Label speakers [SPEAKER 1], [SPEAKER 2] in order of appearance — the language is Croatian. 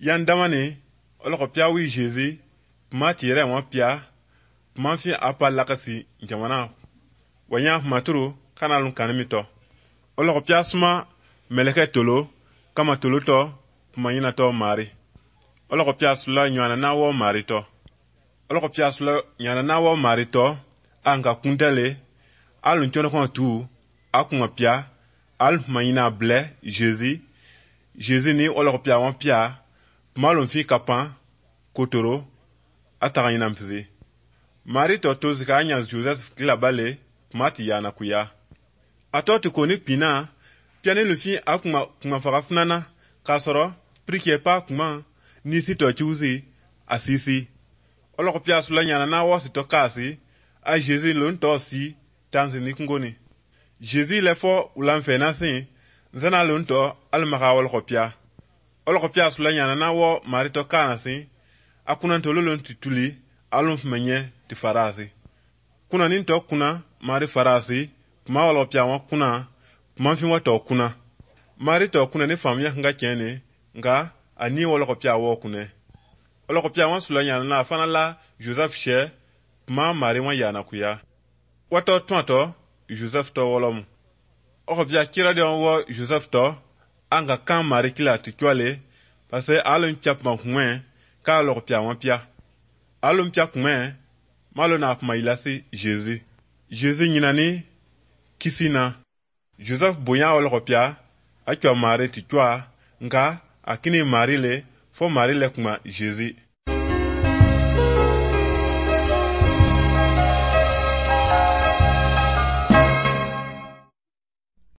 [SPEAKER 1] yan damani oloko pia wi Jésus ma tire mo pia ma fi apa lakasi jamana wanya maturu kanalun kanimito oloko pia suma meleke tolo kama tolo to mayina to mari oloko pia sula nyana na wo mari to oloko pia sula nyana na wo mari to anga kuntele alun chono kon tu akuma pia al mayina ble Jésus ni oloko pia wan pia malum fi kapan kotoro ataka ina mfizi mari to tozika anya Joseph kila bale mati yana kuya atoti koni pina piane lufi akuma farafunana kasoro prike pa kuma ni sito chuzi asisi oloko pia sulanya na wo sito kasi a Jésus lon to si tanzini kungoni Jésus le fo ulamfe nasin zana lon to almaka oloko pia sulanya na wo marito kana si akuna ntololon tituli alum menye ti farasi kuna ninto kuna mari farasi kuma oloko pia wa kuna kuma fi wato kuna marito kuna ni famya nga chene nga ani oloko pia wo kune oloko pia wa sulanya na fana la Joseph she kuma mari wa yana kuya wato tonto Joseph to wolom oko pia kira de wo Joseph to anga kan mari kila tikwale parce alun chap man kwen ka oloko pia wa pia alun pia kwen malo na kuma ilasi Jésus nyinani kisina Joseph boya oloko pia akwa mari tikwa nga akini mari le fo mari le kuma Jésus